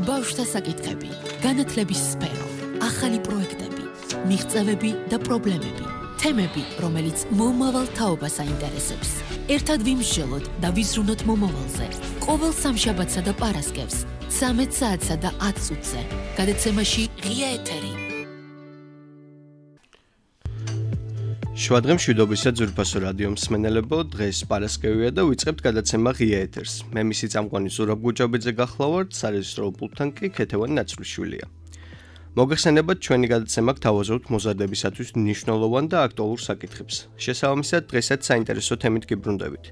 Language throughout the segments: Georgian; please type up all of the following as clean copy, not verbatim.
ბავშვთა საკითხები, განათლების სფერო, ახალი პროექტები, მიღწევები და პრობლემები, თემები, რომელიც მომავალ თაობას აინტერესებს. ერთად ვიმსჯელოთ და ვიზრუნოთ მომავალზე. ყოველ სამშაბათსა და პარასკევს, 13 საათსა და 10 წუთზე. გადაცემაში ღია ეთერი. შუადღე მშვიდობისა ძვირფასო რადიო მსმენელებო, დღეს პარასკევია და ვიწყებთ გადაცემა ღია ეთერს. მე მისი წამყვანი ზურაბ გუჯაბიძე გახლავართ, სარეჟისორო პულტთან კი ქეთევანი ნაცვლიშვილია. მოგეხსენებათ, ჩვენი გადაცემა გთავაზობთ მოზარდებისათვის მნიშვნელოვან და აქტუალურ საკითხებს. შესაბამისად, დღესაც საინტერესო თემით გიბრუნდებით.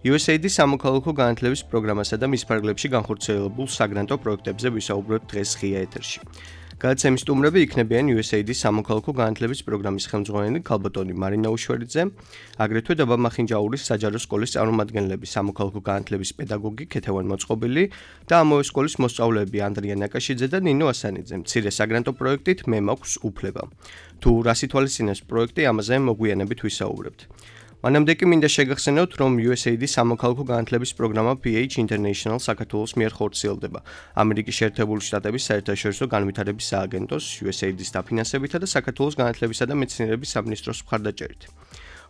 USAID სამოქალაქო განათლების პროგრამასა და მის ფარგლებში განხორციელებულ საგრანტო პროექტებზე ვისაუბრებთ დღეს ღია ეთერში. გადაცემის სტუმრები იქნებიან USAID სამოქალაქო განათლების პროგრამის ხელმძღვანელი ქალბატონი მარინა უშვერიძე, აგრეთვე დაბა-მახინჯაურის საჯარო სკოლის წარმომადგენლები, სამოქალაქო განათლების პედაგოგი ქეთევან მოწყობილი და ამავე სკოლის მოსწავლეები ანდრია ნაკაშიძე და ნინო ასანიძე. მცირე საგრანტო პროექტით მე მაქვს უფლება. თუ რას ითვალისწინებს პროექტი, ამაზე მოგვიანებით ვისაუბრებთ. მანამდე კი მინდა შეგახსენოთ, რომ USAID სამოქალაქო განათლების პროგრამა PH International საქართველოს მიერ ხორციელდება ამერიკის შეერთებული შტატების საერთაშორისო განვითარების სააგენტოს USAID-ის დაფინანსებითა და საქართველოს განათლებისა და მეცნიერების სამინისტროს მხარდაჭერით.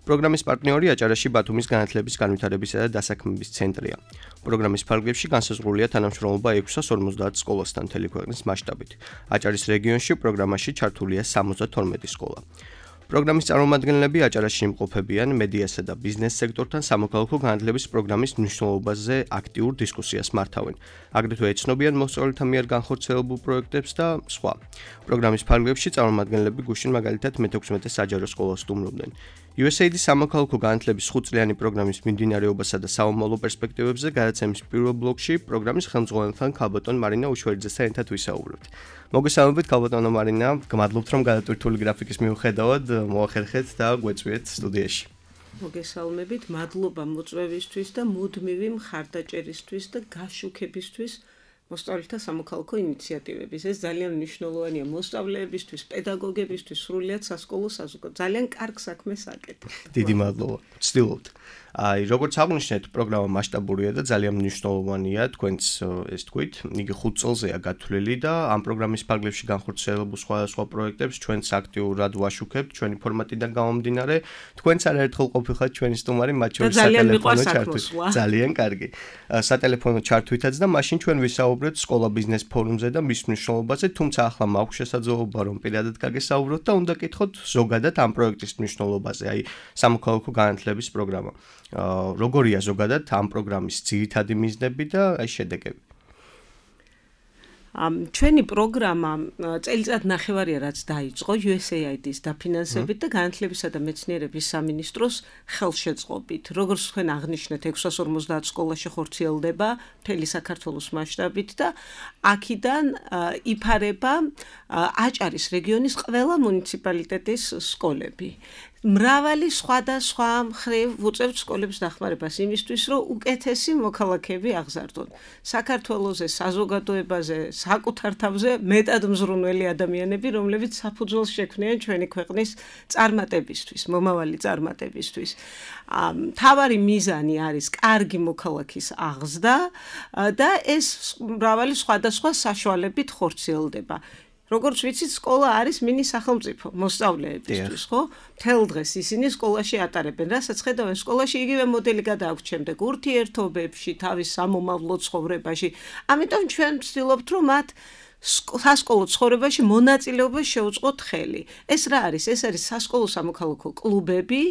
პროგრამის პარტნიორი აჭარაში ბათუმის განათლების განვითარებისა და დასაქმების ცენტრია. პროგრამის ფარგლებში განსაზღვრულია თანამშრომლობა 650 სკოლასთან მთელი ქვეყნის მასშტაბით. აჭარის რეგიონში პროგრამაში ჩართულია 72 სკოლა. პროგრამის წარმომადგენლები აჭარაში იმყოფებიან მედიასა და ბიზნეს სექტორთან სამოქალაქო განათლების პროგრამის მნიშვნელობაზე აქტიურ დისკუსიას მართავენ. აგრეთვე ეცნობიან მოსწავლეთა მიერ განხორციელებულ პროექტებს და სხვა. პროგრამის ფარგლებში წარმომადგენლები გუშინ მაგალითად მე-16 საჯარო სკოლას სტუმრობდნენ. USAID სამოქალაქო განათლების 5-წლიანი პროგრამის მიმდინარეობასა და საომალო პერსპექტივებზე გადაცემის პირველ ბლოკში პროგრამის ხელმძღვანელთან ქალბატონ მარინა უშვერიძესთან ერთად ვისაუბრებთ. მოგესალმებით ქალბატონო მარინა, გმადლობთ რომ გადატვირთული გრაფიკის მიუხედავად მოახერხეთ და გვეწვიეთ სტუდიაში. მოგესალმებით, მადლობა მოწვევისთვის და მუდმივი მხარდაჭერისთვის და გაშუქებისთვის მოსწავლეთა სამოქალაქო ინიციატივების. ეს ძალიან მნიშვნელოვანია მოსწავლეებისთვის, პედაგოგებისთვის, სრულიად სასკოლო საზოგადოებისთვის. ძალიან კარგ საქმეს აკეთებთ. დიდი მადლობა. ვცდილობთ. როგორც აღნიშნეთ, პროგრამა მასშტაბურია და ძალიან მნიშვნელოვანია, თქვენც ეს თქვით. იგი 5 წელზეა გათვლილი და ამ პროგრამის ფარგლებში განხორციელებულ სხვადასხვა პროექტებს ჩვენც აქტიურად ვაშუქებთ, ჩვენი ფორმატიდან გამომდინარე. თქვენც არაერთხელ ყოფილხართ ჩვენი სტუმარი, მათ შორის სატელეფონო ჩართვით. ძალიან კარგი. სატელეფონო ჩართვითაც და მაშინ ჩვენ ვისაუბრეთ სკოლა ბიზნეს ფორუმზე და მის მნიშვნელობაზე, თუმცა ახლა მაქვს შესაძლებლობა რომ პირადად გაგესაუბროთ და უნდა გითხოთ ზოგადად ამ პროექტის მნიშვნელობაზე, აი სამოქალაქო განათლების პროგრამა. როგორია ზოგადად ამ პროგრამის ძირითადი მიზნები და აი შედეგები? ჩვენი პროგრამა წელიწად ნახევარია რაც დაიწყო USAID-ის დაფინანსებით და განათლებისა და მეცნიერების სამინისტროს ხელშეწყობით. როგორც თქვენ აღნიშნეთ, 650 სკოლაში ხორციელდება მთელი საქართველოს მასშტაბით და აქედან იფარება აჭარის რეგიონის ყველა მუნიციპალიტეტის სკოლები. მრავალი სხვადასხვა მხრივ უწევთ სკოლებს დახმარებას იმისთვის, რომ უკეთესი მოქალაქეები აღზარდონ. საქართველოზე, საზოგადოებაზე, საკუთარ თავზე მეტად მზრუნველი ადამიანები, რომლებიც საფუძველს შექმნიან ჩვენი ქვეყნის წარმატებისთვის, მომავალი წარმატებისთვის. მთავარი მიზანი არის კარგი მოქალაქის აღზრდა და ეს მრავალი სხვადასხვა საშუალებით ხორციელდება. როგორც ვიცით, სკოლა არის მინი სახელმწიფო მოსწავლეებისთვის, ხო? მთელ დღეს ისინი სკოლაში ატარებენ, რასაც ხედავენ სკოლაში იგივე მოდელი გადააქვთ შემდეგ ურთიერთობებში, თავის სამომავლო ცხოვრებაში. ამიტომ ჩვენ ვცდილობთ, რომ მათ სასკოლო ცხოვრებაში მონაწილეობა შეუწყოთ ხელი. ეს რა არის? ეს არის სასკოლო სამოქალაქო კლუბები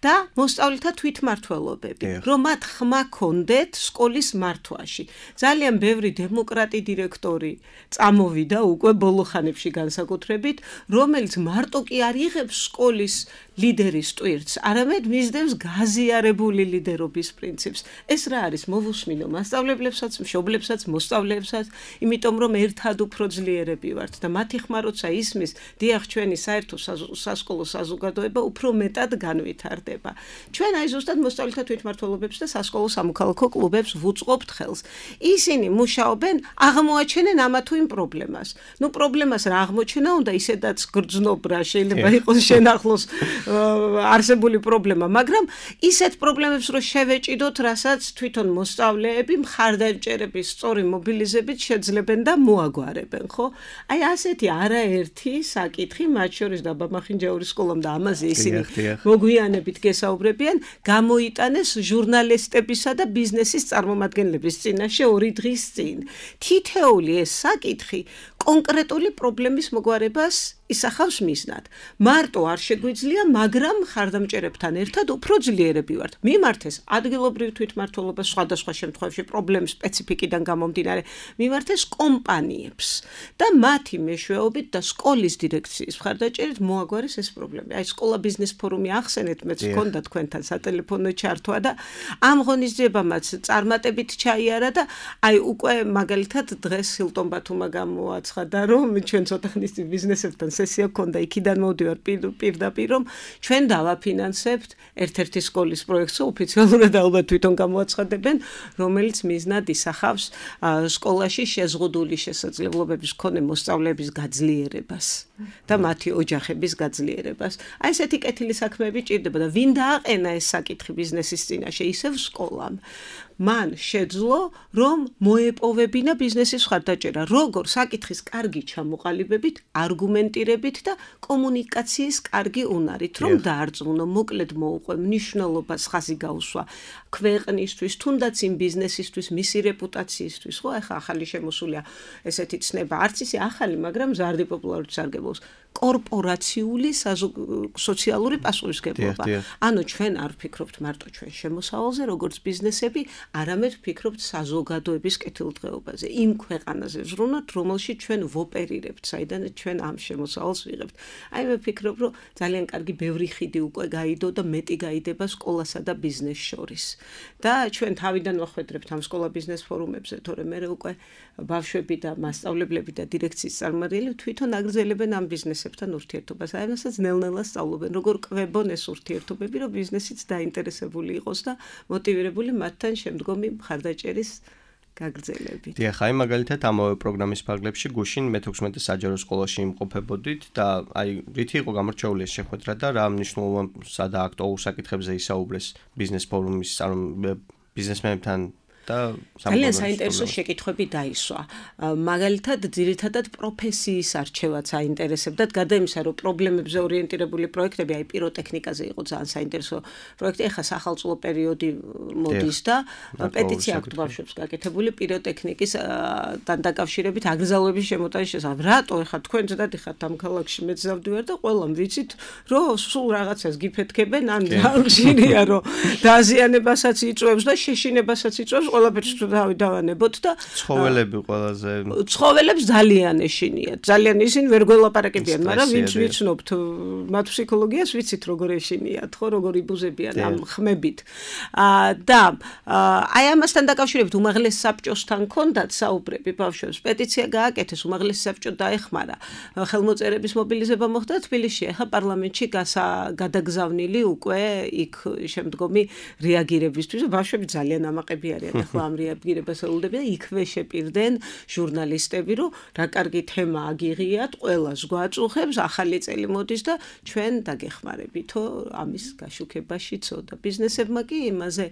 და მოსწავლეთა თვითმმართველობები, რომ მათ ხმა ქონდეთ სკოლის მართვაში. ძალიან ბევრი დემოკრატი დირექტორი წამოვიდა უკვე ბოლო ხანებში განსაკუთრებით, რომელიც მარტო კი არ იღებს სკოლის ლიდერის ტვირთს, არამედ მისდევს გაზიარებული ლიდერობის პრინციპს. ეს რა არის? მოვუსმინო მასწავლებლებსაც, მშობლებსაც, მოსწავლეებსაც, იმიტომ რომ ერთად უფრო ძლიერები ვართ და მათი ხმა როცა ისმის, დიახ, ჩვენი საერთო სასკოლო საზოგადოება უფრო მეტად განვითარდება. ჩვენ აი ზუსტად მოსწავლეთა თვითმმართველობებს და სასკოლო სამოქალაქო კლუბებს ვუწყობთ ხელს. ისინი მუშაობენ, აღმოაჩენენ ამა თუ იმ პრობლემას. ნუ პრობლემას რა აღმოჩენა უნდა ისედაც გრძნობ რა შეიძლება იყოს შენახლოს არსებული პრობლემა, მაგრამ ისეთ პრობლემებს რო შევეჭიდოთ, რასაც თვითონ მოსწავლეები მხარდაჭერების სწორი მობილიზებით შეძლებენ და მოაგვარებენ, ხო? აი ასეთი არაერთი საკითხი, მათ შორის და ბაბახინჯაურის სკოლამ და ამაზე ისინი მოგვიანებით გესაუბრებიან, გამოიტანეს ჟურნალისტებისა და ბიზნესის წარმომადგენლების წინაშე 2 დღის წინ. თითეული ეს საკითხი კონკრეტული პრობლემის მოგვარებას ისახავს მიზნად. მარტო არ შეგვიძლია, მაგრამ მხარდამჭერებთან ერთად უფრო ძლიერები ვართ. მიმართეს ადგილობრივ თვითმმართველობას სხვადასხვა შემთხვევაში პრობლემის სპეციფიკიდან გამომდინარე, მიმართეს კომპანიებს და მათი მეშვეობით და სკოლის დირექციის მხარდაჭერით მოაგვარეს ეს პრობლემა. აი სკოლა ბიზნეს ფორუმი ახსენეთ, მეც მქონდა თქვენთან სატელეფონო ჩართვა და ამ ღონისძიებამაც წარმატებით ჩაიარა და აი უკვე მაგალითად დღეს ჰილტონ ბათუმმა გამოაცხადა, რომ ჩვენ ცოტა ხნის წინ ბიზნესებთან სესია გქონდა, იქიდან მოვდივარ პირდაპირ, რომ ჩვენ დავაფინანსებთ ერთ-ერთი სკოლის პროექტს, ოფიციალურად ალბათ თვითონ გამოაცხადებენ, რომელიც მიზნად ისახავს სკოლაში შეზღუდული შესაძლებლობების მქონე მოსწავლეების გაძლიერებას და მათი ოჯახების გაძლიერებას. აი ესეთი კეთილი საქმეები ჭირდება და ვინ დააყენა ეს საკითხი ბიზნესის წინაშე, ისევ სკოლამ. მან შეძლო, რომ მოეპოვებინა ბიზნესის მხარდაჭერა, როგორ საკითხის კარგი ჩამოყალიბებით, არგუმენტირებით და კომუნიკაციის კარგი უნარით, რომ დაარწმუნო, მოკლედ მოუყვე მნიშვნელობას ხაზი გაუსვა ქვეყნისთვის, თუნდაც იმ ბიზნესისთვის, მისი რეპუტაციისთვის, ხო, ახლა ახალი შემოსულია ესეთი ცნება, არც ისე ახალი, მაგრამ მზარდი პოპულარობით სარგებლობს. კორპორაციული სოციალური პასუხისმგებლობა. ანუ ჩვენ არ ვფიქრობთ მარტო ჩვენ შემოსავალზე, როგორც ბიზნესები, არამედ ვფიქრობთ საზოგადოების კეთილდღეობაზე, იმ ქვეყანაზე ვზრუნოთ, რომელშიც ჩვენ ვოპერირებთ, საიდანაც ჩვენ ამ შემოსავალს ვიღებთ. აი მე ვფიქრობ, რომ ძალიან კარგი ბევრი ხიდი უკვე გაიდო და მეტი გაიდება სკოლასა და ბიზნესს შორის. და ჩვენ თავიდან ვახვედრებთ ამ სკოლა ბიზნეს ფორუმებზე, თორემ მე უკვე ბავშვები და მასწავლებლები და დირექციის წარმომადგენლები თვითონ აგრძელებენ ამ ბიზნესებთან ურთიერთობას. აი ამასაც ნელ-ნელა სწავლობენ, როგორ კვებონ ეს ურთიერთობები, რომ ბიზნესიც დაინტერესებული იყოს და მოტივირებული მათთან შემდგომი მხარდაჭერის გაგრძელებით. დიახ, აი მაგალითად ამავე პროგრამის ფარგლებში გუშინ მე-16 საჯარო სკოლაში იმყოფებოდით და აი რითი იყო გამორჩეული ეს შეხვედრა და რა მნიშვნელოვანსა და აქტუალურ საკითხებზე ისაუბრეს ბიზნეს ფორუმის ბიზნესმენებთან და ძალიან საინტერესო შეკითხვები დაისვა. მაგალითად, ძირითადად პროფესიის არჩევაც აინტერესებდათ, გარდა იმისა, რომ პრობლემებზე ორიენტირებული პროექტები, აი პიროტექნიკაზე იყო ძალიან საინტერესო პროექტი, ეხლა სახალწულო პერიოდი მოდის და პეტიცია აქვს ბავშვებს გაკეთებული პიროტექნიკისთან დაკავშირებით აგზავნების შემოტანის შესახებ. რატო ეხლა თქვენ ზედად ხართ ამ ქალაქში, მეც დავდივარ და ყველამ ვიცით, რომ სულ რაღაცას გიფეთქებენ, ან ხშირია, რომ დაზიანებასაც იწვევს და შეშინებასაც იწვევს. ყველაფერს დავანებოთ და ცხოველები ყველაზე ცხოველებს ძალიან ეშინიათ. ძალიან ისინი ვერ გველაპარაკებიან, მაგრამ ვინც ვიცნობთ მათ ფსიქოლოგიას, ვიცით როგორ ეშინიათ, ხო, როგორ იბუზებიან ამ ხმებით. და აი ამასთან დაკავშირებით უმაღლეს საბჭოსთან ჰქონდათ საუბრები ბავშვებს, პეტიცია გააკეთეს, უმაღლეს საბჭო დაეხმარა. ხელმოწერების მობილიზება მოხდა თბილისში, ახლა პარლამენტში გადაგზავნილი უკვე იქ შემდგომი რეაგირებისთვის. ბავშვები ძალიან ამაყები არიან. ახლა ამ რეაგირებას ელოდებიან, იქვე შეპირდნენ ჟურნალისტები, რომ რა კარგი თემა აგიღიათ, ყველას გვაწუხებს, ახალი წელი მოდის და ჩვენ დაგეხმარებითო ამის გაშუქებაშიცო და ბიზნესებმა კი იმაზე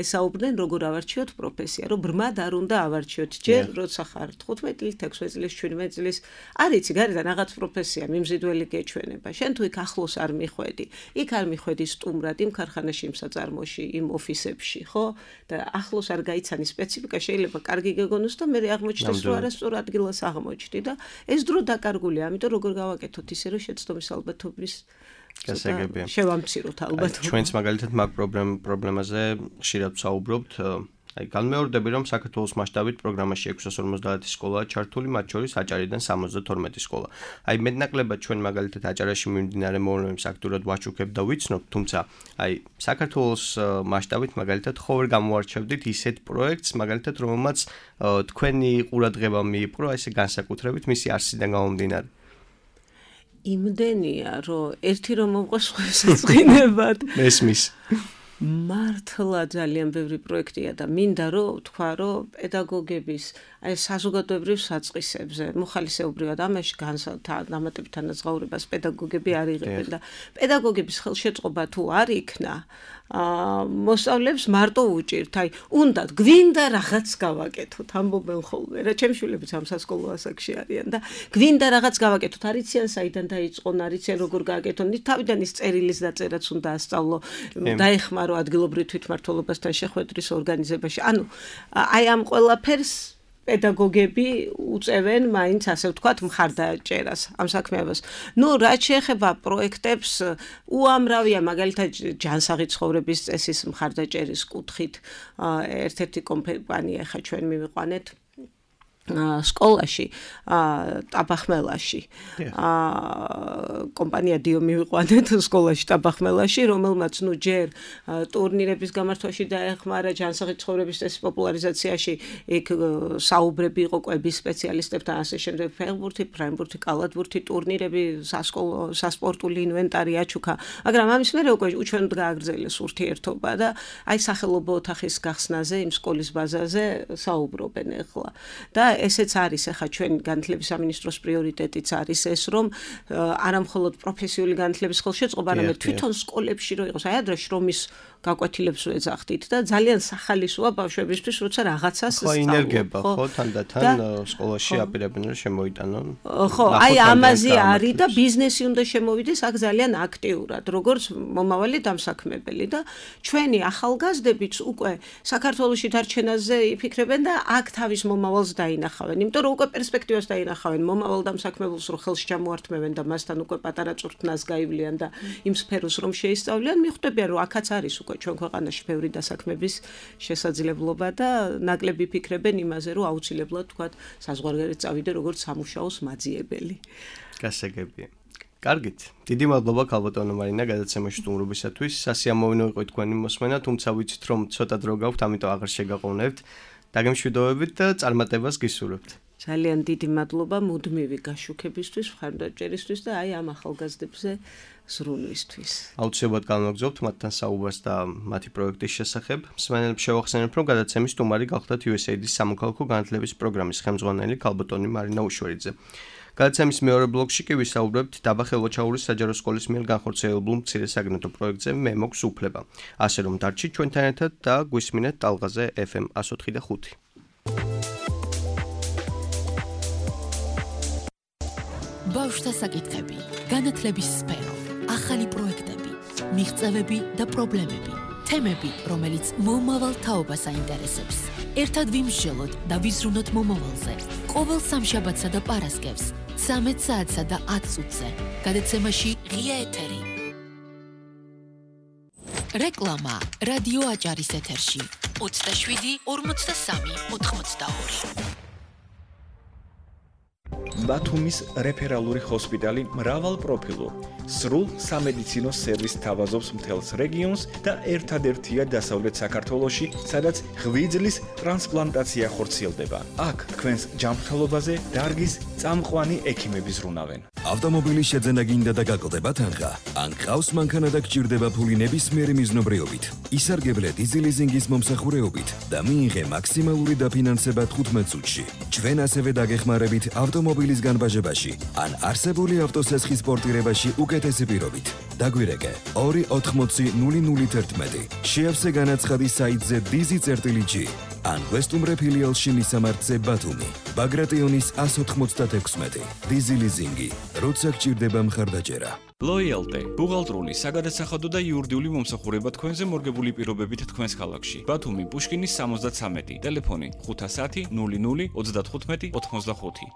ესაუბრდნენ, როგორ ავარჩიოთ პროფესია, რომ ბრმად არ უნდა ავარჩიოთ. ჯერ როცა ხარ 15 წლის, 16 წლის, 17 წლის, არ იცი, გარედან რაღაც პროფესია მიმზიდველი გეჩვენება. შენ თუ იქ ახლოს არ მიხვედი, იქ არ მიხვედი სტუმრად იმ ქარხანაში, იმ საწარმოში, იმ ოფისებში, ხო? და ახლოს არ გაიცანი სპეციფიკა, შეიძლება კარგი გეგონოს და მე აღმოჩნდეს, რომ არასწორ ადგილას აღმოჩნდი და ეს დრო დაკარგულია, ამიტომ როგორ გავაკეთოთ ისე, რომ შეცდომის ალბათობის გასაგებია. შევამციროთ ალბათ. ჩვენც მაგალითად მაგ პრობლემაზე ხშირად ვსაუბრობთ. აი განმეორდები, რომ საქართველოს მასშტაბით პროგრამაში 650 სკოლაა ჩართული, მათ შორის აჭარიდან 72 სკოლა. აი მეტნაკლებად ჩვენ მაგალითად აჭარაში მიმდინარე მოვლენებს აქტიურად ვაჩუქებთ და ვიცნობთ, თუმცა აი საქართველოს მასშტაბით მაგალითად ხო ვერ გამოარჩევდით ისეთ პროექტს, მაგალითად რომელმაც თქვენი ყურადღება მიიპყრო, ესე განსაკუთრებით მისი არსიდან გამომდინარე. იმდენია, რომ ერთი რომ მოყვეს სხვასაც წინებად. მესმის. მართლა ძალიან ბევრი პროექტია და მინდა რომ თქვა რომ პედაგოგების აი საზოგადოებრივ საწყისებზე მოხალისეობრივად ამაში დამატებით თანაზღაურებას პედაგოგები არ იღებენ და პედაგოგების ხელშეწყობა თუ არ იქნა მოსწავლეებს მარტო უჭირთ აი უნდათ გვინდა რაღაც გავაკეთოთ ამბობენ ხოლმე რა ჩემი შვილებიც ამ სასკოლო ასაკში არიან და გვინდა რაღაც გავაკეთოთ არიციან საიდან დაიწყონ არიციან როგორ გააკეთონ თავიდან ის წერილის დაწერაც უნდა ასწავლო დაეხმარო ადგილობრივ თვითმმართველობასთან შეხვედრის ორგანიზებაში ანუ აი ამ ყველაფერს პედაგოგები უწევენ მაინც ასე ვთქვათ მხარდაჭერას ამ საქმეებას. ნუ რაც შეეხება პროექტებს უამრავია მაგალითად ჯანსაღი ცხოვრების წესის მხარდაჭერის კუთხით ერთ-ერთი კომპანია ხა ჩვენ მივიყვანეთ სკოლაში ტაბახმელაში კომპანია დიო მივიყვანეთ სკოლაში ტაბახმელაში რომელმაც ნუ ჯერ ტურნირების გამართვაში დაეხმარა ჯანსაღი ცხოვრების წესის პოპულარიზაციაში იქ საუბრები იყო კვების სპეციალისტებთან ასე შემდეგ ფეხბურთი, ფრენბურთი, კალათბურთი ტურნირები სასპორტული ინვენტარი აჩუქა მაგრამ ამის მერე უკვე უჩვენოდ გააგრძელეს ურთიერთობა და აი სახელობო ოთახის გახსნაზე იმ სკოლის ბაზაზე საუბრობენ ახლა და ესეც არის ახლა ჩვენ განათლების სამინისტროს პრიორიტეტიც არის ეს რომ არა მხოლოდ პროფესიული განათლების ხელშეწყობა, არამედ თვითონ სკოლებში რო იყოს აი ადრე შრომის გაკვეთილებს ვეძახდით და ძალიან სახალისოა ბავშვებისთვის როცა რაღაცას სწავლობ ხო თანდათან სკოლაში აპირებენ რომ შემოიტანონ ხო აი ამაზე არის და ბიზნესი უნდა შემოვიდეს აქ ძალიან აქტიურად როგორც მომავალი დამსაქმებელი და ჩვენი ახალგაზრდებიც უკვე საქართველოში დარჩენაზე იფიქრებენ და აქ თავის მომავალს დაინახავენ იმიტომ რომ უკვე პერსპექტივას დაინახავენ მომავალ დამსაქმებელს რომ ხელში ჩამოართმევენ და მასთან უკვე პატარა წვრთნას გაივლიან და იმ სფეროს რომ შეისწავლიან მიხვდებიან რომ აქაც არის უკვე ჩვენ ქვეყანაში ბევრი დასაქმების შესაძლებლობა და ნაკლები ფიქრებენ იმაზე რომ აუცილებლად თქვათ საზღვარგარეთ წავიდე როგორც სამუშაოს მაძიებელი. გასაგებია. კარგით. დიდი მადლობა ქალბატონო მარინა გადაცემაში სტუმრობისათვის. სასიამოვნო იყო თქვენი მოსმენა, თუმცა ვიცით რომ ცოტა დრო გაქვთ, ამიტომ აღარ შეგაყოვნებთ. დაგემშვიდობებით და წარმატებას გისურვებთ. ძალიან დიდი მადლობა მუდმივი გაშუქებისთვის, მხარდაჭერისთვის და აი ამ ახალგაზრდებზე ზრუნვისთვის. აუცილებლად განვაგრძობთ მათთან საუბარს და მათი პროექტის შესახებ. მსმენელებს შევახსენებ, რომ გადაცემის სტუმარი გახლდათ USAID-ის სამოქალაქო განათლების პროგრამის ხელმძღვანელი ქალბატონი მარინა უშვერიძე. გადაცემის მეორე ბლოკში კი ვისაუბრებთ დაბა ხელვაჩაურის საჯარო სკოლის მიერ განხორციელებულ მცირე საგნათო პროექტზე მე მოქვს უფლება. ასე რომ დარჩით ჩვენთან ერთად და გვისმინეთ ტალღაზე FM 104.5. ბავშვთა საკითხები, განათლების სფერო, ახალი პროექტები, მიღწევები და პრობლემები, თემები, რომელიც მომავალ თაობას აინტერესებს. ერთად ვიმსჯელოთ და ვიზრუნოთ მომავალზე. ყოველ სამშაბათსა და პარასკევს 13 საათსა და 10 წუთზე. გადაცემაში ღია ეთერი. რეკლამა რადიო აჭარის ეთერში 27 43 82. ბათუმის რეფერალური ჰოსპიტალი მრავალპროფილურ, სრულ სამედიცინო სერვისს თავაზობს მთელს რეგიონს და ერთადერთია დასავლეთ საქართველოში, სადაც ღვიძლის ტრანსპლანტაცია ხორციელდება. აქ თქვენს ჯანმრთელობაზე დარგის წამყვანი ექიმები ზრუნავენ. ავტომობილის შეძენა გინდა და გაკლდება თანხა. ან ყავს მანქანა და გჭირდება ფული ნებისმიერი მიზნობრიობით. ისარგებლე დიზელიზინგის მომსახურეობით და მიიღე მაქსიმალური დაფინანსება 15 წუთში. ჩვენ ასევე დაგეხმარებით ავტომობილის განბაჟებაში ან არსებული ავტოსესხის პორტირებაში უკეთესი პირობით. დაგვირეკე 280-0011. შეავსე განაცხადი საიტზე dizi.g ან ვესტუმრე ფილიალში მისამართზე ბათუმი. ბაგრატიონის 196. დიზელიზინგი. როცა გჭირდება მხარდაჭერა. Loyalty, ბუღალტრული, საგადასახადო და იურიდიული მომსახურება თქვენზე მორგებული პირობებით თქვენს ქალაქში. ბათუმი, პუშკინის 73, ტელეფონი 510 00 35 85.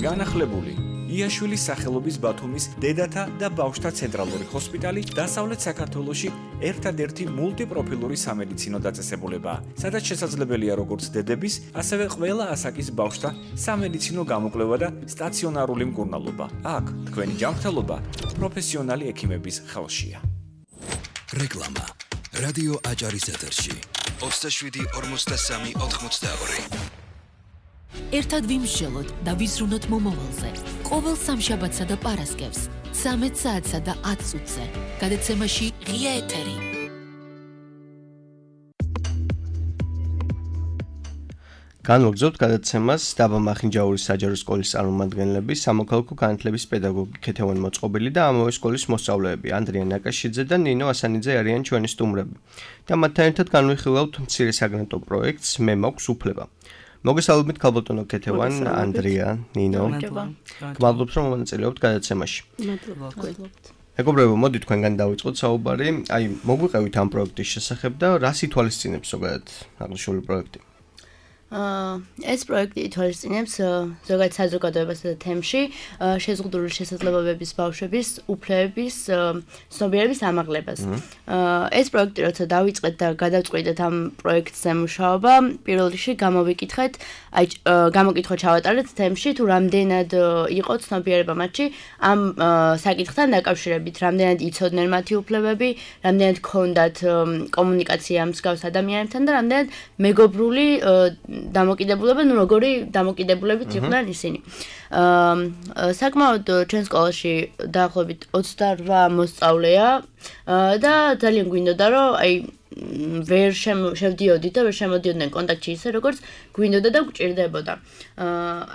განახლებული იაშვილის სახელობის ბათუმის დედათა და ბავშვთა ცენტრალური ჰოსპიტალი დასავლეთ საქართველოში ერთადერთი მულტიპროფილური სამედიცინო დაწესებულებაა, სადაც შესაძლებელია როგორც დედების, ასევე ყველა ასაკის ბავშვთა სამედიცინო გამოკვლევა და სტაციონარული მკურნალობა. აქ თქვენი ჯანმრთელობა პროფესიონალი ექიმების ხელშია. რეკლამა რადიო აჭარის ეთერში 27 43 82. ერთად ვიმსჯელოთ და ვიზრუნოთ მომავალზე. ყოველ სამშაბათსა და პარასკევს 13 საათსა და 10 წუთზე. გადაცემაში ღია ეთერი. განვაგრძობთ გადაცემას დაბა მახინჯაურის საჯარო სკოლის წარმომადგენლები, სამოქალაქო განათლების პედაგოგი ქეთევან მოწყობილი და ამავე სკოლის მოსწავლეები ანდრია ნაკაშიძე და ნინო ასანიძე არიან ჩვენი სტუმრები. და მათთან ერთად განვიხილავთ მცირე საგრანტო პროექტს მე მაქვს უფლება. მოგესალმებით ქალბატონო ქეთევან, ანდრია, ნინო. გმადლობთ რომ მონაწილეობთ გადაცემაში. მეგობრებო, მოდით თქვენგან დავიწყოთ საუბარი. აი, მოგვიყევით ამ პროექტის შესახებ და რას ითვალისწინებს ზოგადად აღნიშნული პროექტი? ეს პროექტი ითვალისწინებს ზოგადად საზოგადოებასა და თემში შეზღუდული შესაძლებლობების ბავშვების უფლებების ცნობიერების ამაღლებას. ეს პროექტი როცა დავიწყეთ და გადავწყვიტეთ ამ პროექტზე მუშაობა, პირველ რიგში გამოკითხვა ჩავატარეთ თემში თუ რამდენად იყო ცნობიერება მათში ამ საკითხთან დაკავშირებით, რამდენად იცოდნენ მათი უფლებები, რამდენად ჰქონდათ კომუნიკაცია მსგავს ადამიანებთან და რამდენად მეგობრული დამოკიდებულება, ნუ როგორი დამოკიდებულებით იყვნენ ისინი. საკმაოდ ჩვენ სკოლაში დაახლოებით 28 მოსწავლეა და ძალიან გვინდოდა რომ აი ვერ შევდიოდით და ვერ შემოდიოდნენ კონტაქტში ისე როგორც გვინდოდა და გვჭირდებოდა.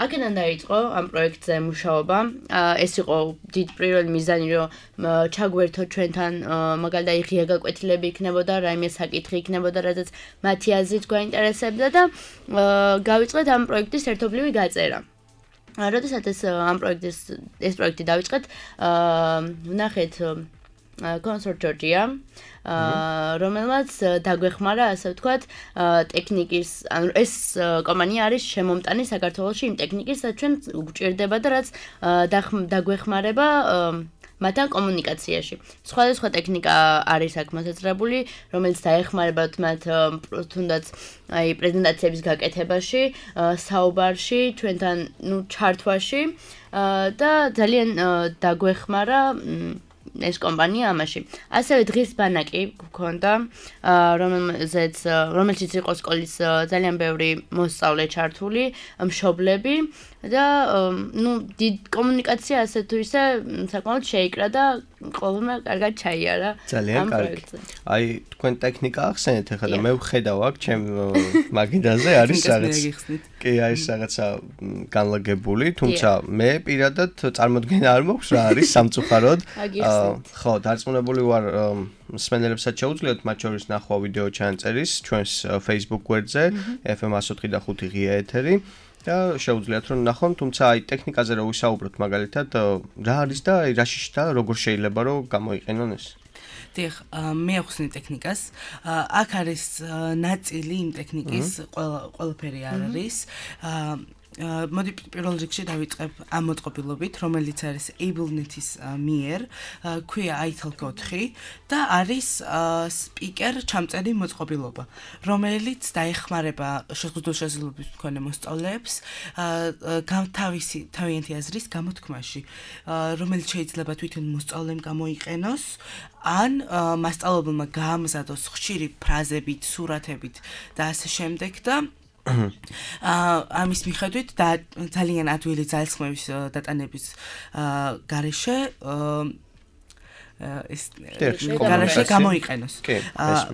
აქედან დაიწყო ამ პროექტზე მუშაობა. ეს იყო დიდ პირველი მიზანი რომ ჩაგვერთოთ ჩვენთან მაგალითად ღია გაკვეთილები იქნებოდა, რაიმე საკითხი იქნებოდა, რადგან მათი აზრით გვაინტერესებდა და გავიწყეთ ამ პროექტის ერთობლივი გაწერა. როდესაც ეს პროექტი დავიწყეთ, ვნახეთ კონსორტ ჯორჯია, რომელმაც დაგვეხმარა, ასე ვთქვათ, ტექნიკის, ანუ ეს კომპანია არის შემომტანი საქართველოში იმ ტექნიკის, რაც ჩვენ გვჭირდება და რაც დაგვეხმარება მათთან კომუნიკაციაში. სხვადასხვა ტექნიკა არის აქ მოსაწყრებული, რომელიც დაეხმარებათ მათ თუნდაც აი პრეზენტაციების გაკეთებაში, საუბარში, ჩვენთან ჩართვაში და ძალიან დაგვეხმარა ეს კომპანია ამაში. ასევე დღის ბანაკი გქონდა, რომელშიც იყო სკოლის ძალიან ბევრი მოსწავლე ჩართული, მშობლები და დიდ კომუნიკაცია ასე თუ ისე საკმაოდ შეიკრა და ყოველმა კარგად ჩაიარა. ძალიან კარგი. აი თქვენ ტექნიკა ახსენეთ ახლა და მე ვხედავ აქ ჩემ მაგიდაზე არის რაღაც. კი, არის რაღაცა განლაგებული, თუმცა მე პირადად წარმოდგენა არ მაქვს რა არის სამწუხაროდ. ხო, დარწმუნებული ვარ მსმენელებსაც შეუძლიათ მათ შორის ნახვა ვიდეო ჩანწერის ჩვენს Facebook გვერდზე FM 104.5 ღია ეთერი და შეუძლიათ რომ ნახონ, თუმცა აი ტექნიკაზე რო ვისაუბროთ მაგალითად რა არის და აი რა შეშდა როგორ შეიძლება რომ გამოიყენონ ეს? დიახ, მე ახსნი ტექნიკას. აქ არის ნაწილი იმ ტექნიკის, ყველაფერი არ არის. მოდი პირველ რიგში დავიწყებ ამ მოწყობილობით, რომელიც არის AbleNet-ის მიერ, ქვია iTalk 4 და არის სპიკერ ჩამწერი მოწყობილობა, რომელიც დაეხმარება შეზღუდული შესაძლებლობის მქონე მოსწავლეებს თავიანთი აზრის გამოთქმაში, რომელიც შეიძლება თვითონ მოსწავლემ გამოიყენოს ან მასწავლებელმა გაამზადოს ხშირი ფრაზებით, სურათებით და ასე შემდეგ და ამის მიხედვით და ძალიან ადვილი ძალისხმევის დატანების გარეშე ეს გარეშე გამოიყენოს.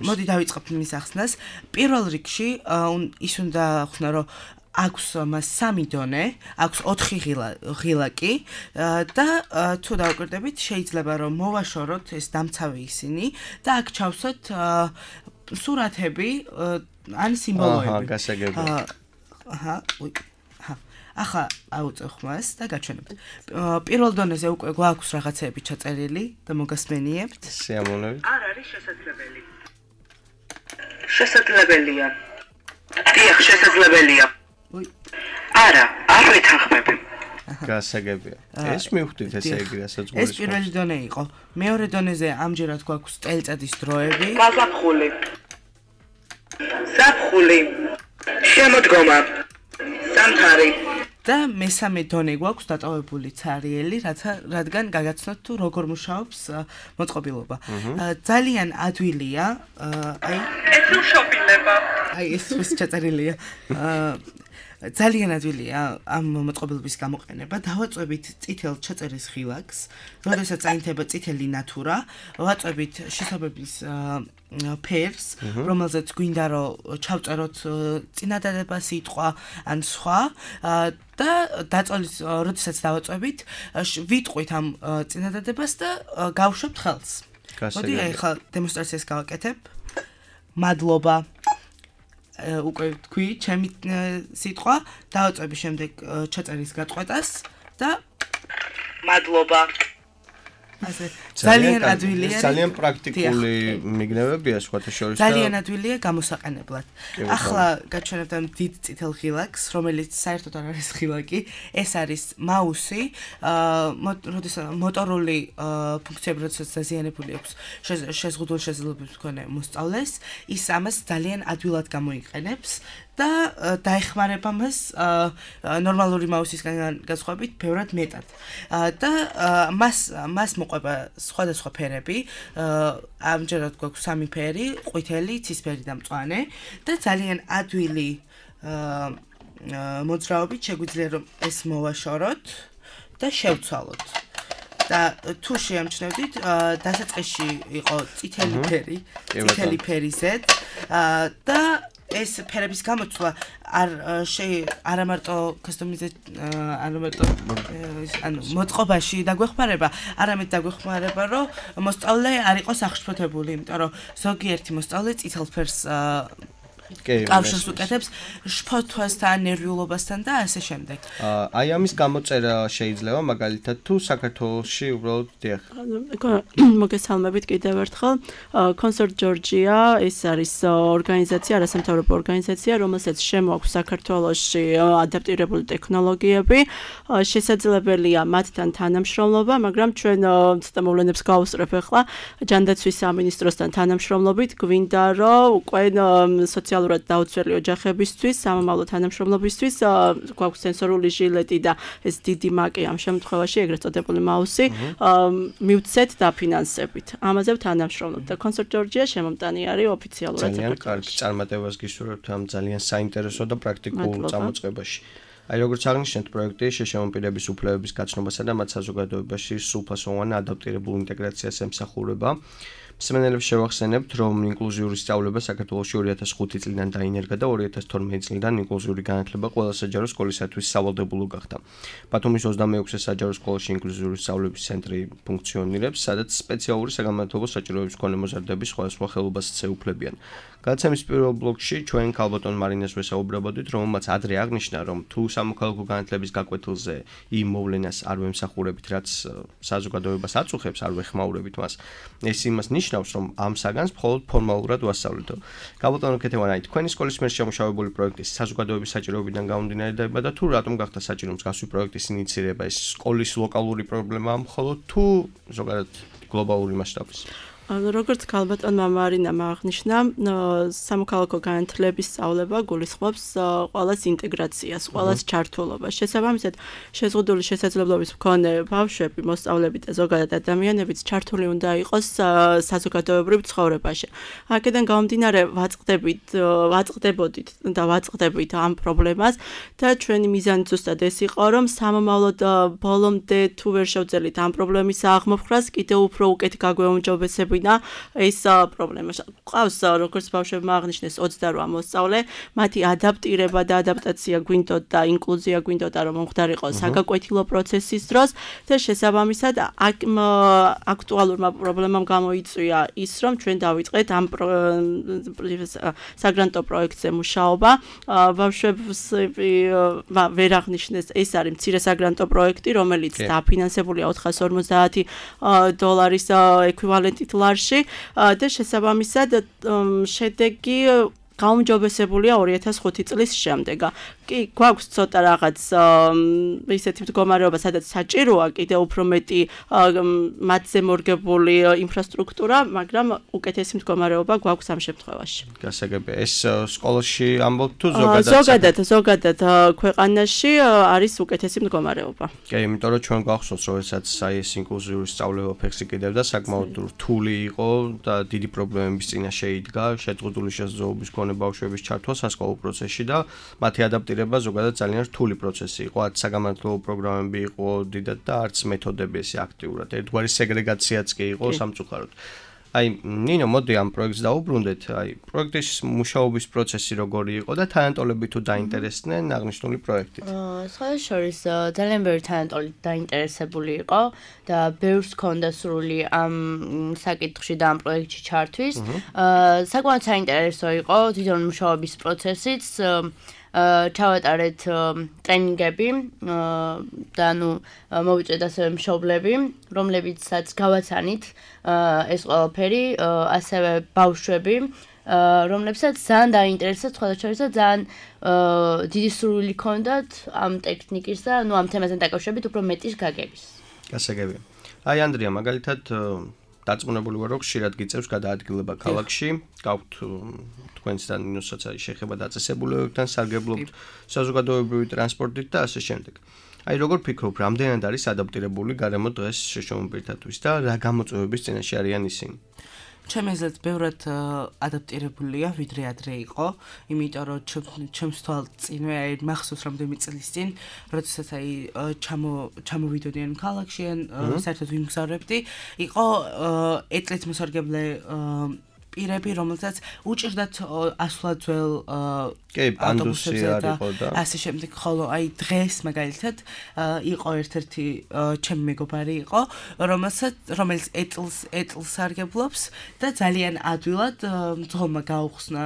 მოდი დავიწყებ მის ახსნას. პირველ რიგში ის უნდა ახსნა რომ აქვს მას 3 დონე, აქვს 4 ღილაკი და თუ დავაკვირდებით შეიძლება რომ მოვაშოროთ ეს დამცავი ისინი და აქ ჩავსვათ სურათები ან სიმბოლოები. გასაგებია. ახლა აუწევ ხმას და გაჩვენებთ. პირველ დონეზე უკვე გვაქვს რაღაცეები ჩაწერილი და მოგასმენიებთ. სიამოვნებით. არ არის შესაძლებელი. შესაძლებელია. დიახ, შესაძლებელია. არა, არ ვეთანხმები. გასაგებია. ეს მივხვდით ესე იგი, რასაც გულისხმობთ. ეს პირველი დონე იყო. მეორე დონეზე ამჯერად გვაქვს წელიწადის დროები. გაზაფხული. ზაფხული. შემოდგომა. სამთარი. და მესამე დონე გვაქვს დატოვებული ცარიელი, რადგან გაგაცნოთ თუ როგორ მუშაობს მოწყობილობა. ძალიან ადვილია, აი ეს უშობილება. აი ეს ის ჩაწერილია. ძალიან ადვილია ამ მოწყობილობის გამოყენება. დავაწვევით წითელ ჩაწერის ხილაკს, როდესაც აინთება წითელი ნატურა, ვაწვევით შესაბამის ფერს, რომელზეც გვინდა რომ ჩავწეროთ წინადადება სიტყვა ან სხვა და დაწოლის როდესაც დავაწვევით, ვიტყვით ამ წინადადებას და გავშვებთ ხელს. მოდი ახლა დემონსტრაციას გავაკეთებ. მადლობა. უკვე თქვი, ჩემი სიტყვა, დავაწვევი შემდეგ ჩაწერის გაწყვეტას და მადლობა. ძალიან ადვილია. ძალიან პრაქტიკული მიგნებებია სხვათა შორის. ძალიან ადვილია გამოსაყენებლად. ახლა გაჩვენებთ ამ დიდ წითელ ხილაკს, რომელიც საერთოდ არ არის ხილაკი, ეს არის მაუსი, როდესაც მოტორული ფუნქციები როდესაც დაზიანებული აქვს შეზღუდული შესაძლებლობის მქონე მოსწავლეს, ის ამას ძალიან ადვილად გამოიყენებს. და დაეხმარება მას ნორმალური მაუსისგან განსხვავებით ბევრად მეტად. და მას მოყვება სხვადასხვა ფერები, ამჯერად გვაქვს 3 ფერი, ყვითელი, ცისფერი და მწვანე და ძალიან ადვილი მოძრაობით შეგვიძლია რომ ეს მოვაშოროთ და შევცვალოთ. და თუ შეამჩნევდით, დასაწყისში იყო წითელი ფერი, წითელი ფერი Z და ეს ფერების გამოცვლა არა მარტო მოწყობაში დაგვეხმარება, არამედ დაგვეხმარება, რომ მოსწავლე არ იყოს აღშფოთებული, იმიტომ რომ ზოგიერთი მოსწავლე წითელ ფერს კავშირს უკეთებს შფოთვასთან, ნერვიულობასთან და ასე შემდეგ. აი ამის გამოწერა შეიძლება მაგალითად თუ საქართველოში უბრალოდ დიახ. მოგესალმებით კიდევ ერთხელ. Concert Georgia ეს არის ორგანიზაცია, არასამთავრობო ორგანიზაცია, რომელსაც შემოაქვს საქართველოში ადაპტირებული ტექნოლოგიები. შესაძლებელია მათთან თანამშრომლობა, მაგრამ ჩვენ ცოტა მოვლენებს გავუსწრებ ახლა ჯანდაცვის სამინისტროსთან თანამშრომლობით გვინდა რომ უკვე სოციალურად დაუცველი ოჯახებისთვის, სამომავლო თანამშრომლობისთვის გვაქვს სენსორული ჟილეტი და ეს დიდი მაკი ამ შემთხვევაში, ეგრეთ წოდებული მაუსი, მივცეთ დაფინანსებით. ამაზე თანამშრომლობთ და Concert Georgia შემომტანი არის ოფიციალურად. ძალიან კარგი წარმატებას გისურვებთ ამ ძალიან საინტერესო და პრაქტიკულ წამოწყებაში. აი როგორც აღნიშნეთ, პროექტი შეშემო პირების უფლებების გაცნობასა და მათ საზოგადოებაში სრულფასოვან ადაპტირებულ ინტეგრაციას ემსახურება. მსმენელებს შევახსენებთ, რომ ინკლუზიური სწავლება საქართველოში 2005 წლიდან დაინერგა და 2012 წლიდან ინკლუზიური განათლება ყველა საჯარო სკოლისათვის სავალდებულო გახდა. ბათუმის 26-ე საჯარო სკოლაში ინკლუზიური სწავლების ცენტრი ფუნქციონირებს, სადაც სპეციალური საგამართლებო საჭიროების მქონე მოზარდები სხვადასხვა ხელობას ეუფლებიან. გადაცემის პირველ ბლოკში ჩვენ ქალბატონ მარინას ვესაუბრებოდით, რომელმაც ადრე აღნიშნა, რომ თუ სამოქალაქო განათლების გაკვეთილზე იმ მოვლენას არ ვემსახურებით, რაც საზოგადოებას აწუხებს, არ ვეხმაურებით მას, ეს იმას ნიშნავს, რომ ამ საგანს მხოლოდ ფორმალურად ვასწავლეთო. ქალბატონო ქეთევანაი, თქვენი სკოლის მიერ შემუშავებული პროექტის საზოგადოების საჭიროებიდან გამომდინარედება და თუ რატომ გახდა საჭირო მსგავსი პროექტის ინიცირება, ეს სკოლის ლოკალური პრობლემაა მხოლოდ თუ ზოგადად გლობალური მასშტაბის? როგორც ქალბატონმა მარინამ აღნიშნა, სამოქალაქო განათლების სწავლება გულისხმობს ყველას ინტეგრაციას, ყველას ჩართულობას. შესაბამისად, შეზღუდული შესაძლებლობის მქონე ბავშვები, მოსწავლეები და ზოგადად ადამიანებიც ჩართული უნდა იყოს საზოგადოებრივ ცხოვრებაში. აქედან გამომდინარე ვაწყდებოდით და ვაწყდებით ამ პრობლემას და ჩვენი მიზანი ზუსტად ეს იყო, რომ სამომავლოდ ბოლომდე თუ ვერ შევძელით ამ პრობლემის აღმოფხვრას, კიდევ უფრო უკეთ გაგვეუმჯობესებინა ეს პრობლემა. ყავს როგორც ბავშვებმა აღნიშნეს 28 მოსწავლე, მათი ადაპტირება და ადაპტაცია გვინდოდა და ინკლუზია გვინდოდა რომ მომხდარიყო საგაკვეთილო პროცესის დროს და შესაბამისად აქტუალურმა პრობლემამ გამოიწვია ის, რომ ჩვენ დავიწყეთ ამ საგრანტო პროექტზე მუშაობა. ბავშვებს ვერ აღნიშნეს, ეს არის მცირე საგრანტო პროექტი, რომელიც დაფინანსებულია $450 ექვივალენტით და შესაბამისად შედეგი გაუმჯობესებულია 2005 წლის შემდეგ. კი, გვაქვს ცოტა რაღაც ისეთი მდგომარეობა, სადაც საჭიროა კიდევ უფრო მეტი მათზე მორგებული ინფრასტრუქტურა, მაგრამ უკეთესი მდგომარეობა გვაქვს ამ შემთხვევაში. გასაგებია, ეს სკოლაში ამბობთ თუ ზოგადად ქვეყანაში არის უკეთესი მდგომარეობა. კი, იმიტომ რომ ჩვენ გვახსოვს, როდესაც აი ეს ინკლუზიური სწავლება ფეხს იკიდებდა, საკმაოდ რთული იყო და დიდი პრობლემების წინაშე იდგა, შეზღუდული შესაძლებლობის მქონე მქონე ბავშვების ჩართვა სასკოლო პროცესში და მათი ადაპტირება ზოგადად ძალიან რთული პროცესი იყო. არც საგამართლობო პროგრამები იყო დიდად და არც მეთოდები ესე აქტიურად. ერთგვარი სეგრეგაციაც კი იყო სამწუხაროდ. აი, ნინო, მოდი ამ პროექტს დაუბრუნდეთ. აი, პროექტის მუშაობის პროცესი როგორი იყო და თანატოლები თუ დაინტერესდნენ აღნიშნული პროექტით? სხვადასხვა ძალიან ბევრი თანატოლი დაინტერესებული იყო და ბევრს ჰქონდა სრული ამ საკითხში და ამ პროექტში ჩართვის. საკმაოდ საინტერესო იყო თვითონ მუშაობის პროცესიც. ჩავატარეთ ტრენინგები და მოვიწვიეთ ასევე მშობლები, რომლებიცაც გავაცანით ეს ყველაფერი, ასევე ბავშვები, რომლებსაც ძალიან დაინტერესებთ, სხვადასხვა ძალიან დიდი სურვილი ჰქონდათ ამ ტექნიკის და ამ თემასთან დაკავშირებით უფრო მეტის გაგების. გასაგებია. აი ანდრია, მაგალითად დარწმუნებული ვარ, რომ ხშირად გიწევს გადაადგილება ქალაქში. გაქვთ თქვენთან ნინოსაც არის შეხება დაწესებულებებთან, სარგებლობთ საზოგადოებრივი ტრანსპორტით და ასე შემდეგ. აი როგორ ფიქრობ, რამდენად არის ადაპტირებული გარემო დღეს შეშმობილთათვის და რა გამოწვევების წინაშე არიან ისინი? ჩემი აზრით ბევრად ადაპტირებულია, ვიდრე ადრე იყო, იმიტომ რომ ჩემს თვალწინვე აი მახსოვს რამდენიმე წლის წინ, როდესაც აი ჩამოვიდოდიან ქალაქში, საერთოდ ვიმგზავრებდი, იყო ეტლით მოსარგებლე პირები, რომელსაც უჭირდათ ასვლა ძველ ავტობუსებზე და ასე შემდეგ, ხოლო აი დღეს მაგალითად იყო ერთ-ერთი ჩემი მეგობარი იყო, რომელიც ეტლს სარგებლობს და ძალიან ადვილად მძღოლმა გაუხსნა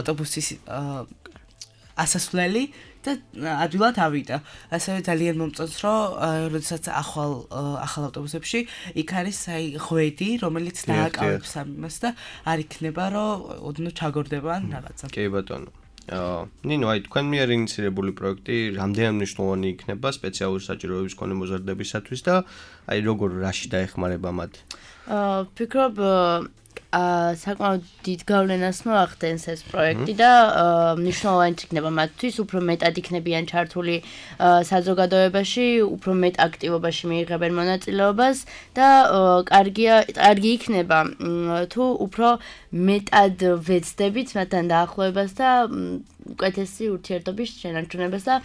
ავტობუსის ასასვლელი და ადვილად ავიდა. ასევე ძალიან მომწონს, რომ როდესაც ახალ ავტობუსებში იქ არის აი ღვედი, რომელიც დააკავებს ამას და არ იქნება, რომ ოდნავ ჩაგორდება ან რაღაცა. კი ბატონო. ნინო, აი თქვენ მიერ ინიცირებული პროექტი რამდენად მნიშვნელოვანი იქნება სპეციალური საჭიროების მქონე მოზარდებისათვის და აი როგორ რაში დაეხმარება მათ? ფიქრობ საკმაოდ დიდ გავლენას მოახდენს ეს პროექტი და მნიშვნელოვანი იქნება მათთვის, უფრო მეტად იქნებიან ჩართული საზოგადოებაში, უფრო მეტ აქტივობაში მიიღებენ მონაწილეობას და კარგი იქნება თუ უფრო მეტად ვეცდებით მათთან დაახლოებას და უკეთესი ურთიერთობის შენარჩუნებას და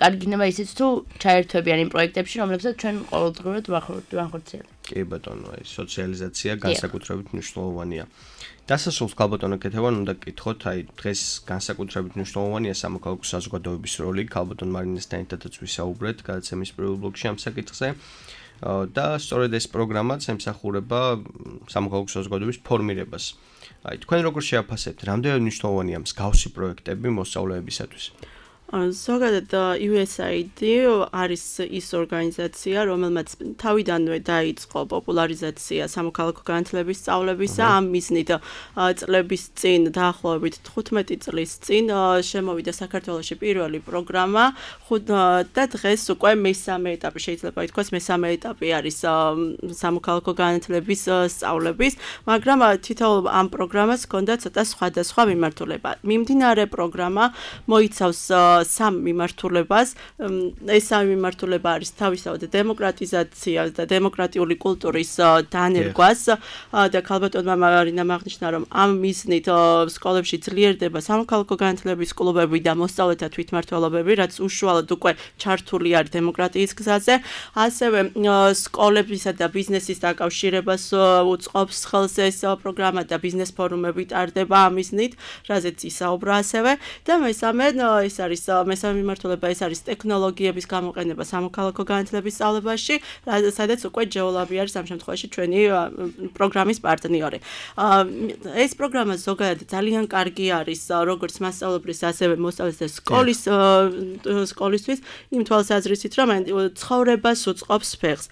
კარგი იქნება ისიც თუ ჩაერთვებიან იმ პროექტებში, რომლებსაც ჩვენ ყოველდღურად ვახორციელებთ. კი ბატონო, აი სოციალიზაცია განსაკუთრებით მნიშვნელოვანია. დასასრულს ქალბატონო კეთევან უნდა გკითხოთ, აი დღეს განსაკუთრებით მნიშვნელოვანია სამოქალაქო საზოგადოების როლი. ქალბატონ მარინესთან ერთადაც ვისაუბრეთ გადაცემის პირველ ბლოკში ამ საკითხზე. და სწორედ ეს პროგრამაც ემსახურება სამოქალაქო საზოგადოების ფორმირებას. აი თქვენ როგორ შეაფასებთ, რამდენად მნიშვნელოვანია მსგავსი პროექტები მოსწავლეებისათვის? ზოგადად USAID არის ის ორგანიზაცია, რომელმაც თავიდანვე დაიწყო პოპულარიზაცია სამოქალაქო განათლების სწავლებისა. ამ მიზნით წლების წინ, დაახლოებით 15 წლის წინ შემოვიდა საქართველოში პირველი პროგრამა და დღეს უკვე მესამე ეტაპი, შეიძლება ითქვას მესამე ეტაპი არის სამოქალაქო განათლების სწავლების, მაგრამ თითოეულ ამ პროგრამას ჰქონდა ცოტა სხვადასხვა მიმართულება. მიმდინარე პროგრამა მოიცავს სამ მიმართულებას. ეს სამი მიმართულება არის თავისთავად დემოკრატიზაცია და დემოკრატიული კულტურის დანერგვას და ქალბატონმა მარინამ აღნიშნა, რომ ამ მიზნით სკოლებში ძლიერდება სამოქალაქო განათლების კლუბები და მოსწავლეთა თვითმმართველობები, რაც უშუალოდ უკვე ჩართული არის დემოკრატიის გზაზე. ასევე სკოლებისა და ბიზნესის დაკავშირებას უწყობს ხელს ეს პროგრამა და ბიზნეს ფორუმები ტარდება ამ მიზნით, რაზეც ისაუბრა ასევე და მესამე ეს არის მესამე მიმართულება, ეს არის ტექნოლოგიების გამოყენება სამოქალაქო განათლების სწავლებაში, სადაც უკვე ჯეოლაბი არის ამ შემთხვევაში ჩვენი პროგრამის პარტნიორი. ეს პროგრამა ზოგადად ძალიან კარგი არის როგორც მასწავლებლის, ასევე მოსწავლეთა სკოლისთვის, იმ თვალსაზრისით, რომ ცხოვრებას უწყობს ფეხს.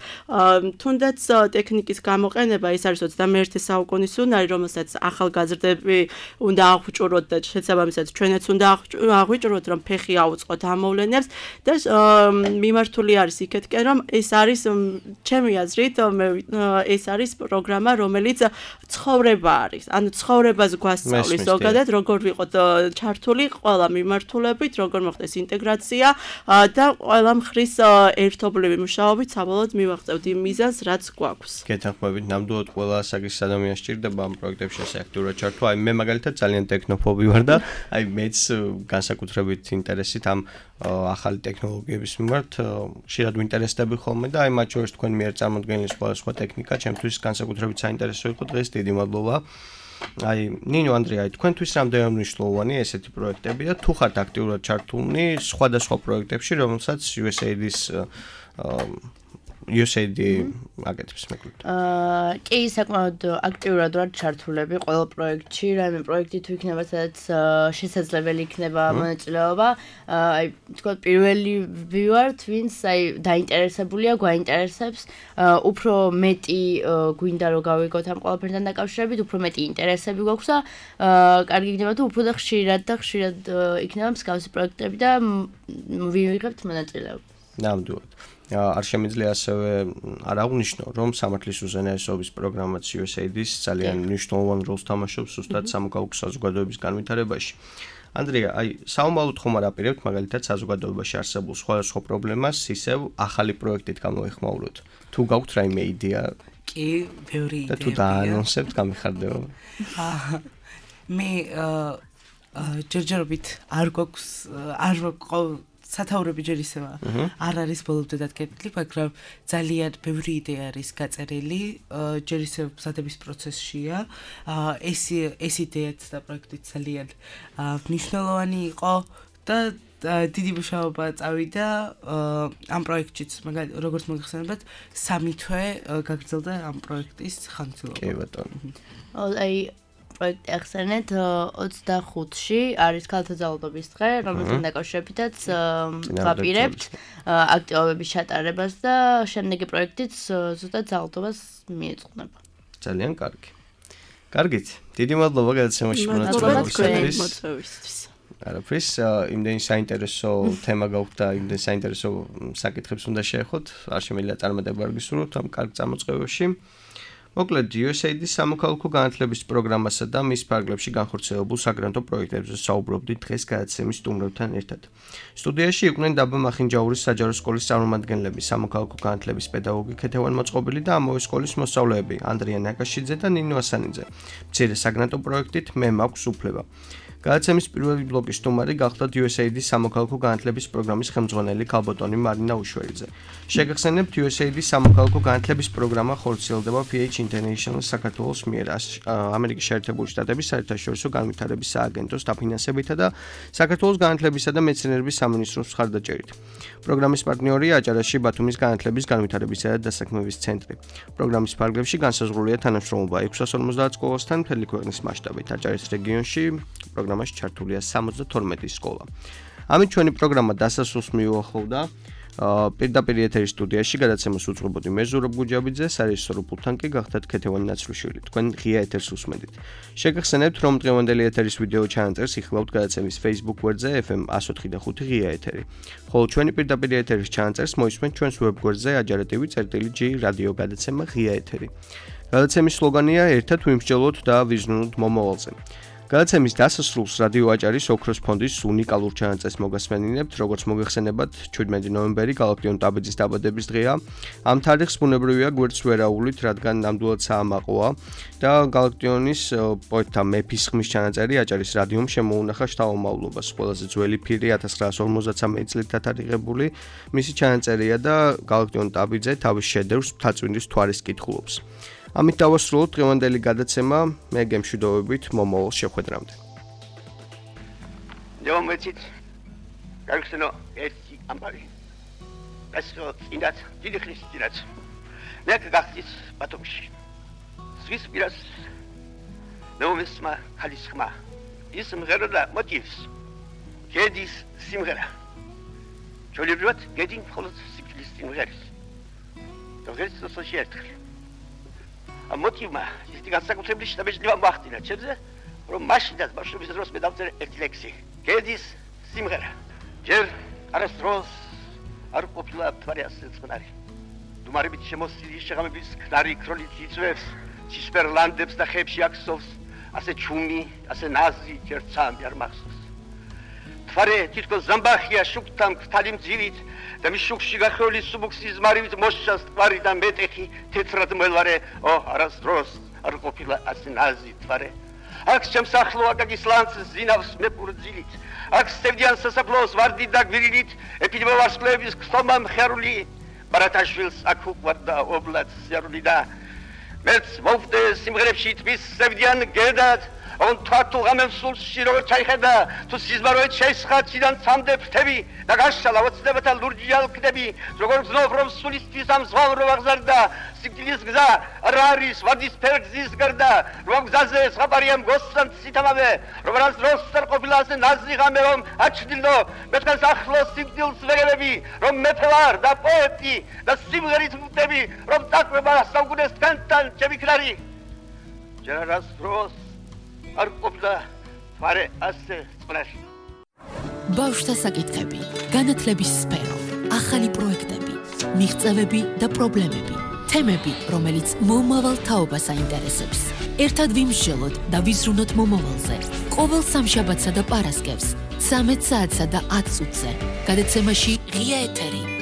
თუნდაც ტექნიკის გამოყენება ეს არის 21 საუკუნის უნარი, რომელსაც ახალგაზრდები უნდა აღვჭუროთ და შესაბამისად ჩვენაც უნდა აღვჭუროთ, რომ ფეხი ფეხი აუწყოთ ამ მოვლენებს და მიმართული არის იქეთკენ, რომ ეს არის ჩემი აზრით ეს არის პროგრამა, რომელიც ცხოვრება არის. ანუ ცხოვრებას გვასწავლის ზოგადად, როგორ ვიყოთ ჩართული ყველა მიმართულებით, როგორ მოხდეს ინტეგრაცია და ყველა მხრის ერთობლივი მუშაობით საბოლოოდ მივაღწევთ იმ მიზანს, რაც გვაქვს. გეთანხმებით, ნამდვილად ყველა ასაკის ადამიანს სჭირდება ამ პროექტებში აქტიურად ჩართვა. აი მე მაგალითად ძალიან ტექნოფობი ვარ და აი მეც განსაკუთრებით ინტერესით ამ ახალი ტექნოლოგიების მიმართ ხშირად ვინტერესდები ხოლმე და აი მათ შორის თქვენ მიერ წარმოდგენილი სხვა ტექნიკა ჩემთვის განსაკუთრებით საინტერესო იყო დღეს. დიდი მადლობა. აი ნინო ანდრია, თქვენთვის რამდენად მნიშვნელოვანია ესეთი პროექტები და თუ ხართ აქტიურად ჩართულნი სხვადასხვა პროექტებში, რომელსაც USAID-ის USAID აკეთებს მეკლოდ. კი, საკმაოდ აქტიურად ვარ ჩართულები ყველა პროექტში, რაიმე პროექტი თუ იქნება, სადაც შესაძლებელი იქნება მონაწილეობა. აი, თქვა პირველი ვივართ, ვინც აი დაინტერესებულია, გვაინტერესებს, უფრო მეტი გვინდა რომ გავიგოთ ამ ყველაფერთან დაკავშირებით, უფრო მეტი ინტერესები გვაქვს და კარგი იქნება თუ უფრო და ხშირად იქნება მსგავსი პროექტები და ვივიღებთ მონაწილეობა. ნამდვილად. არ შემიძლია ასევე არ აღვნიშნო, რომ სამართლის უზენაესობის პროგრამაც USAID-ის ძალიან მნიშვნელოვან როლს თამაშობს ზუსტად სამოქალაქო საზოგადოების განვითარებაში. ანდრია, აი, საომალოდ ხომ არ აპირებთ მაგალითად საზოგადოებაში არსებულ სხვადასხვა პრობლემას ისევ ახალი პროექტით გამოეხმაუროთ. თუ გაქვთ რაიმე იდეა? კი, ბევრი იდეა. და თუ დაანონსებთ, გამიხარდება. მე ჯერჯერობით არ გვაქვს სათაურები ჯერ ისევა არ არის ბოლომდე დადგენილი, მაგრამ ძალიან ბევრი იდეა არის გაწერილი, ჯერ ისევ მზადების პროცესშია. ეს იდეაც და პროექტიც ძალიან მნიშვნელოვანი იყო და დიდი მუშაობა წავიდა ამ პროექტშიც, როგორც მოგეხსენებათ, 3 თვე გაგრძელდა ამ პროექტის ხანგრძლივობა. კი ბატონო. აი პროექტი ახსენეთ 25-ში არის ქალთა ძალადობის დღე, რომელთან დაკავშირებითაც ვაპირებთ აქტივობების ჩატარებას და შემდეგი პროექტიც ზუსტად ძალადობას მიეძღვნება. ძალიან კარგი. კარგით. დიდი მადლობა გადაცემაში მონაწილეობისთვის. არაფრის, იმდენი საინტერესო თემა გაქვთ და იმდენი საინტერესო საკითხებს უნდა შეეხოთ. არ შემიძლია წარმატება არ გისურვოთ ამ კარგ წამოწყებებში. მოკლედ, USAID-ის სამოქალაქო განათლების პროგრამასა და მის ფარგლებში განხორციელებულ საგრანტო პროექტებზე საუბრობდით დღეს გადაცემის სტუმრებთან ერთად. სტუდიაში იყვნენ დაბა მახინჯაურის საჯარო სკოლის წარმომადგენლები, სამოქალაქო განათლების პედაგოგი ქეთევან მოწყობილი და ამავე სკოლის მოსწავლეები ანდრია ნაკაშიძე და ნინო ასანიძე. მცირე საგრანტო პროექტით მე მაქვს უფლება. გადაცემის პირველი ბლოკის სტუმარი გახლდათ USAID-ის სამოქალაქო განათლების პროგრამის ხელმძღვანელი ქალბატონი მარინა უშველიძე. შეგახსენებთ, USAID-ის სამოქალაქო განათლების პროგრამა ხორციელდება PH International საქართველოს მიერ ამერიკის შეერთებული შტატების საერთაშორისო განვითარების სააგენტოს დაფინანსებითა და საქართველოს განათლებისა და მეცნიერების სამინისტროს მხარდაჭერით. პროგრამის პარტნიორია აჭარაში ბათუმის განათლების განვითარებისა და დასაქმების ცენტრი. პროგრამის ფარგლებში განსაზღვრულია თანამშრომლობა 650 სკოლასთან მთელი ქვეყნის მასშტაბით. აჭარის რეგიონში პროგრამაში ჩართულია 72 სკოლა. ამით ჩვენი პროგრამა დასასრულს მიუახლოვდა. პირდაპირ ეთერის სტუდიაში გადაცემას უძღვებოდი მე ზურაბ გუჯაბიძე, სარეჟისორო პულტთან კი გახდათ ქეთევანი ნაცრუშვილი. თქვენ ღია ეთერს უსმენთ. შეგახსენებთ, რომ დღევანდელი ეთერის ვიდეო ჩანაწერს იხილავთ გადაცემის Facebook გვერდზე FM 104.5 ღია ეთერი. ხოლო ჩვენი პირდაპირ ეთერის ჩანაწერს მოისმენთ ჩვენს ვებგვერდზე ajartv.g რადიო გადაცემა ღია ეთერი. გადაცემის სლოგანია ერთად ვიმსჯელოთ და ვიზრუნოთ მომავალზე. გადაცემის დასასრულს რადიო აჭარის ოქროს ფონდის უნიკალურ ჩანაწერს მოგასმენინებთ, როგორც მოგეხსენებათ, 17 ნოემბერი გალაქტიონ ტაბიძის დაბადების დღეა. ამ თარიღს ბუნებრივია გვერდს ვერაულით, რადგან ნამდვილად საამაყოა და გალაქტიონის პოეტთა მეფის ხმის ჩანაწერი აჭარის რადიომ შემოუნახა შთამომავლობას. ყველაზე ძველი ფირი 1953 წლით დათარიღებული მისი ჩანაწერია და გალაქტიონ ტაბიძე თავის შედევრს მთაწმინდის მთვარის კითხულობს. ამით დავასრულოთ დღევანდელი გადაცემა, მე გემშვიდობებით მომავალ შეხვედრამდე. Domnul Garxeno esti ampari. Pentru indat, din Hristinat. Nec gachtis batumși. Svis biras. Novisma halisma. Ism gerada motivs. Gedis simgera. Çolibrat gedin folos sikilistin geris. Dogeris societr. A motivma, este gasta cu trebuie să mergi la Bahtina, ce zice? Rom mașina, mașina, să răspund de altă elecție. Gedis simgera. ჯერ არასდროს არ ყოფილა თვარი ასე წყნარი. დუმარებით შემოსილი შეღამების ქნარი ქროლით იწვევს, ცისფერლანდებს და ხებში აქსოვს, ასე ჩუმი, ასე ნაზი ჯერცამი არ მახსოვს. თვარე თითქოს ზამბახია შუქთან ქთალი მძივით და მის შუქში გახეული სუბუქსის მარივით მოშას თვარი და მეტეხი თეთრად მელვარე, არასდროს არ ყოფილა ასე ნაზი თვარე. აქ შემსახლო აკაკის ლანს ზინავს მეპურძილით, აქ სტევდიან სასაფლაოს ვარდით და გვირილით, ეპიდემია ვარსკვლავების ხსომა მხარული, ბარათაშვილს აქ უყვარდა ობლად სიარული და მეც მოვდე სიმღერებში თბის სტევდიან გედად, on თვართო გამემსულში როგორ ჩაიხედა, თუ სიზმაროეთ შეისხაციდან ცამდე ფრთები და გაშალა ოცნებათა ლურჯი ალკდები, როგორ გზნობ რომ სულისთვის ამ ზღვამ რო აღზარდა, სიკვდილის გზა არ არის ვარდისფერ გზის გარდა, რომ გზაზე ზღაპარია მგოსთან ციტამავე, რომ რას დროს არ ყოფილა ასე ნაზი ღამე რომ აჩდილო, მეთქანს ახლოს სიკვდილს ვეგებები, რომ მეფე ვარ და პოეტი და სიმღერით ვუტები, რომ დაკვება საუკუნეს თქვენთან ჩემი ქნარი. ჯერ რას დროს არ ყოფილა თვარე ასე წყნარი. ბავშვთა საკითხები, განათლების სფერო, ახალი პროექტები, მიღწევები და პრობლემები, თემები, რომელიც მომავალ თაობას აინტერესებს. ერთად ვიმსჯელოთ და ვიზრუნოთ მომავალზე. ყოველ სამშაბათსა და პარასკევს 13 საათსა და 10 წუთზე. გადაცემაში ღია ეთერი.